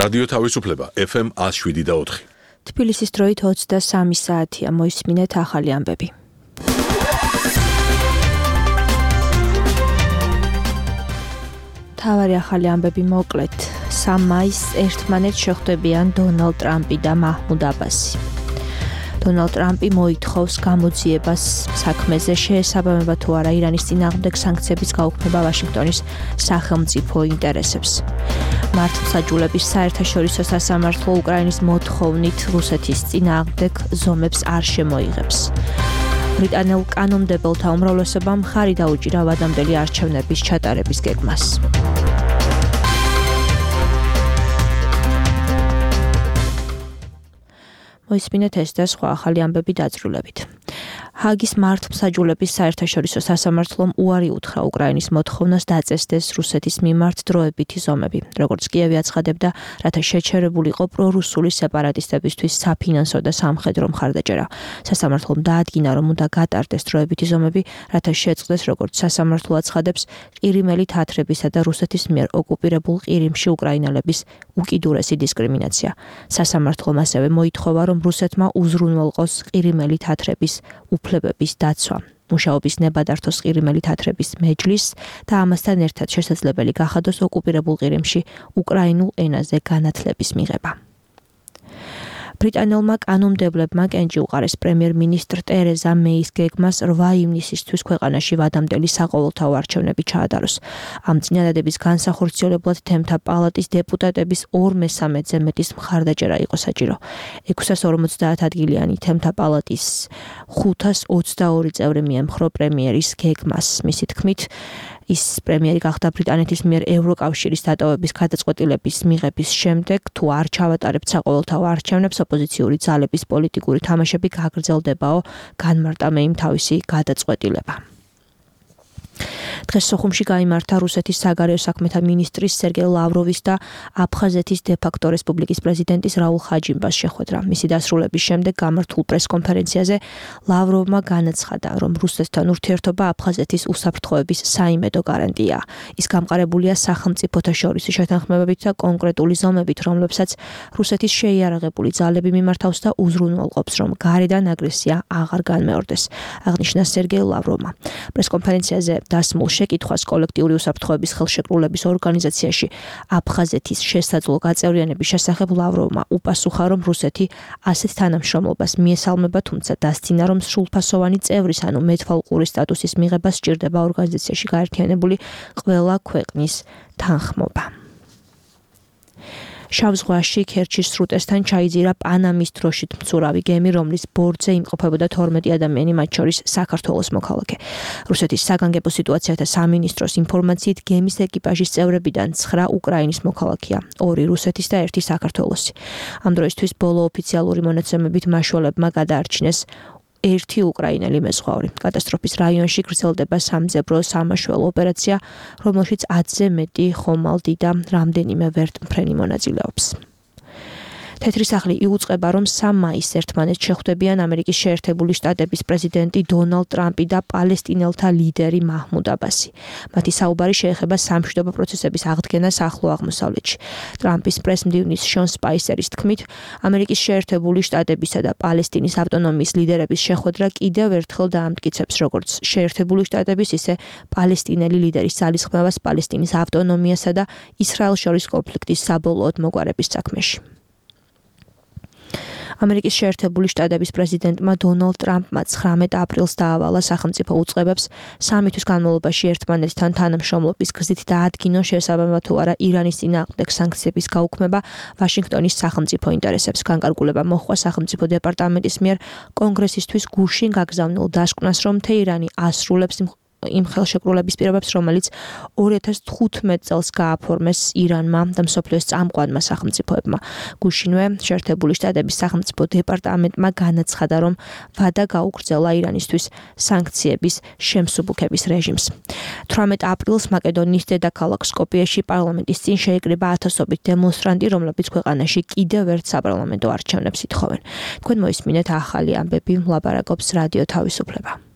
რადიო თავისუფლება FM 107.4. თბილისის დროით 23 საათია, მოისმინეთ ახალი ამბები. თავარი ახალი ამბები მოკლედ. 3 მაისს ერთმანეთს შეხვდებიან დონალდ ტრამპი და მაჰმუდ აბასი. დონალდ ტრამპი მოითხოვს გამოძიებას საქმეზე შეესაბამება თუ არა ირანის წინააღმდეგ სანქციების გაუქმება ვაშინგტონის სახელმწიფო ინტერესებს. მართლმსაჯულების საერთაშორისო სასამართლო უკრაინის მოთხოვნით რუსეთის წინააღმდეგ ზომებს არ შემოიღებს. ბრიტანელ კანონმდებელთა უმრავლესობამ მხარი დაუჭირა ვადამდელი არჩევნების ჩატარების გეგმას. მოისმინეთ ეს და სხვა ახალი ამბები დაწვრილებით. ჰაგის მართლმსაჯულების საერთაშორისო სასამართლომ უარი უთხრა უკრაინის მოთხოვნას დაწესდეს რუსეთის მიმართ დროებითი ზომები, როგორც კიევი აცხადებდა, რათა შეჩერებულიყო პრორუსული სეპარატისტებისთვის საფინანსო და სამხედრო მხარდაჭერა. სასამართლომ დაადგინა, რომ უნდა გატარდეს დროებითი ზომები, რათა შეწყდეს, როგორც სასამართლო აცხადებს, ყირიმელი თათრებისა და რუსეთის მიერ ოკუპირებულ ყირიმში უკრაინელების უკიდურესი დისკრიმინაცია. სასამართლომ ასევე მოითხოვა, რომ რუსეთმა უზრუნველყოს ყირიმელი თათრების უფლებების დაცვა. მუშაობის ნება დართოს ყირიმელი თათრების მეჯლისს და ამასთან ერთად შესაძლებელი გახადოს ოკუპირებულ ყირიმში უკრაინულ ენაზე განათლების მიღება. ბრიტანელმა კანონმდებლებმა კენჭი უყარეს პრემიერ-მინისტრ ტერეზა მეის გეგმას 8 ივნისისთვის ქვეყანაში ვადამდელი საყოველთაო არჩევნები ჩაადაროს. ამ წინადადების განსახორციელებლად თემთა პალატის დეპუტატების 2/3-ზე მეტის მხარდაჭერა იყო საჭირო. 650 ადგილიანი თემთა პალატის 522 წევრი მიემხრო პრემიერის გეგმას. მისი თქმით, ის პრემიერი გახდა ბრიტანეთის მიერ ევროკავშირის დატოვების გადაწყვეტილების მიღების შემდეგ, თუ არ ჩავატარებთ საყოველთაო არჩევნებს, ოპოზიციური ძალების პოლიტიკური თამაშები გაგრძელდებაო, განმარტა მეიმ თავისი გადაწყვეტილება. დღეს სოხუმში გაიმართა რუსეთის საგარეო საქმეთა მინისტრის სერგეი ლავროვის და აფხაზეთის დე-ფაქტო რესპუბლიკის პრეზიდენტის რაულ ხაჯიმბას შეხვედრა. მისი დასრულების შემდეგ გამართულ პრესკონფერენციაზე ლავროვმა განაცხადა, რომ რუსეთთან ურთიერთობა აფხაზეთის უსაფრთხოების საიმედო გარანტია. ის გამყარებულია სახელმწიფოთა შორის შეთანხმებებით და კონკრეტული ზომებით, რომლებსაც რუსეთის შეიარაღებული ძალები მიმართავს და უზრუნველყოფს, რომ გარედან აგრესია აღარ განმეორდეს, აღნიშნა სერგეი ლავროვმა. პრესკონფერენციაზე დასმულ შეკითხვას კოლექტიური უსაფრთხოების ხელშეკრულების ორგანიზაციაში აფხაზეთის შესაძლო გაწევრიანების შესახებ ლავროვმა უპასუხა, რომ რუსეთი ასეთ თანამშრომლობას მიესალმება, თუმცა დასძინა, რომ სრულფასოვანი წევრის, ანუ მეთვალყური სტატუსის მიღება სჭირდება ორგანიზაციაში გაერთიანებული ყველა ქვეყნის თანხმობა. შავ ზღვაში ქერჩის სრუტესთან ჩაიძირა პანამის დროშით მცურავი გემი, რომლის ბორტზე იმყოფებოდა 12 ადამიანი, მათ შორის საქართველოს მოქალაქე. რუსეთის საგანგებო სიტუაციათა სამინისტროს ინფორმაციით, გემის ეკიპაჟის წევრებიდან 9 უკრაინის მოქალაქეა, 2 რუსეთის და 1 საქართველოსი. ამ დროისთვის ბოლო ოფიციალური მონაცემებით მაშველებმა გადაარჩინეს 1 უკრაინელი მეზღვაური. კატასტროფის რაიონში გრძელდება სამძებრო სამაშველო ოპერაცია, რომელშიც 10-ზე მეტი ხომალდი და რამდენიმე ვერტმფრენი მონაწილეობს. თეთრი სახლი იუწყება, რომ 3 მაისს ერთმანეთს შეხვდებიან ამერიკის შეერთებული შტატების პრეზიდენტი დონალდ ტრამპი და პალესტინელთა ლიდერი მაჰმუდ აბასი. მათი საუბარი შეეხება სამშვიდობო პროცესების აღდგენას ახლო აღმოსავლეთში. ტრამპის პრესმდივნის შონ სპაისერის თქმით, ამერიკის შეერთებული შტატებისა და პალესტინის ავტონომიის ლიდერების შეხვედრა კიდევ ერთხელ დაამტკიცებს, როგორც შეერთებული შტატების, ისე პალესტინელი ლიდერის ძალისხმევას პალესტინის ავტონომიასა და ისრაელს შორის კონფლიქტის საბოლოოდ მოგვარების საქმეში. ამერიკის შეერთებული შტატების პრეზიდენტმა დონალდ ტრამპმა 19 აპრილს დაავალა სახელმწიფო უწყებებს 3 თვის განმავლობაში ერთმანეთთან თანამშრომლობის გზით დაადგინოს შესაბამება თუ არა ირანის წინააღმდეგ სანქციების გაუქმება ვაშინგტონის სახელმწიფო ინტერესებს. განკარგულება მოჰყვა სახელმწიფო დეპარტამენტის მიერ კონგრესისთვის გუშინ გაგზავნილ დასკვნას, რომ თეირანი ასრულებს იმ ხელშეკრულების პირობებს, რომელიც 2015 წელს გააფორმეს ირანმა და მსოფლიოს წამყვანმა სახელმწიფოებმა. გუშინვე შეერთებული შტატების სახელმწიფო დეპარტამენტმა განაცხადა, რომ ვადა გაუგრძელა ირანისთვის სანქციების შემსუბუქების რეჟიმს. 18 აპრილს მაკედონიის დედაქალაქ სკოპიეში პარლამენტის წინ შეიკრიბა ათასობით დემონსტრანტი, რომლებიც ქვეყანაში კიდევ ერთ საპარლამენტო არჩევნებს ითხოვენ. თქვენ მოისმინეთ ახალი ამბები, ლაპარაკობს რადიო თავისუფლება.